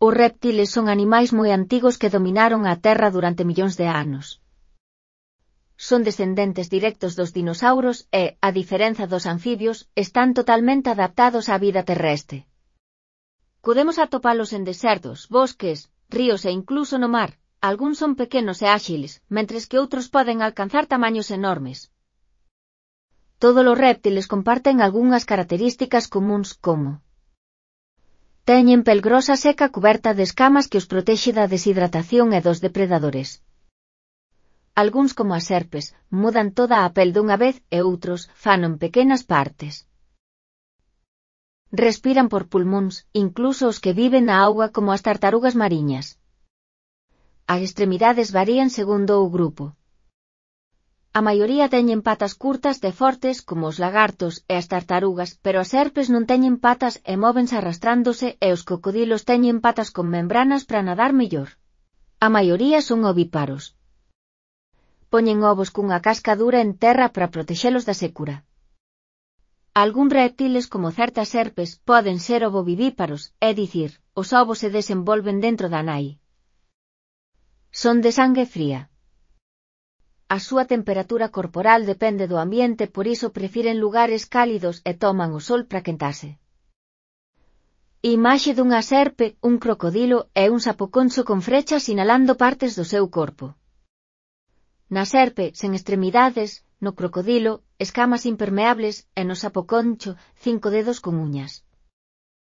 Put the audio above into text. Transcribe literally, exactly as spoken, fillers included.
Os reptiles son animais moi antigos que dominaron a Terra durante millóns de anos. Son descendentes directos dos dinosauros e, a diferenza dos anfibios, están totalmente adaptados á vida terrestre. Podemos atopalos en desertos, bosques, ríos e incluso no mar. Algúns son pequenos e áxiles, mentres que outros poden alcanzar tamaños enormes. Todos os reptiles comparten algunhas características comúns como: teñen pel grosa seca cuberta de escamas que os protexe da deshidratación e dos depredadores. Algúns, como as serpes, mudan toda a pel dunha vez e outros fano en pequenas partes. Respiran por pulmóns, incluso os que viven na auga como as tartarugas mariñas. As extremidades varían segundo o grupo. A maioría teñen patas curtas e fortes como os lagartos e as tartarugas, pero as serpes non teñen patas e móvense arrastrándose e os cocodilos teñen patas con membranas para nadar mellor. A maioría son ovíparos. Poñen ovos cunha casca dura en terra para protexelos da secura. Algúns reptiles, como certas serpes, poden ser ovovivíparos, é dicir, os ovos se desenvolven dentro da nai. Son de sangue fría. A súa temperatura corporal depende do ambiente, por iso prefiren lugares cálidos e toman o sol para quentarse. Imaxe dunha serpe, un crocodilo e un sapoconcho con frechas sinalando partes do seu corpo. Na serpe, sen extremidades, no crocodilo, escamas impermeables e no sapoconcho, cinco dedos con uñas.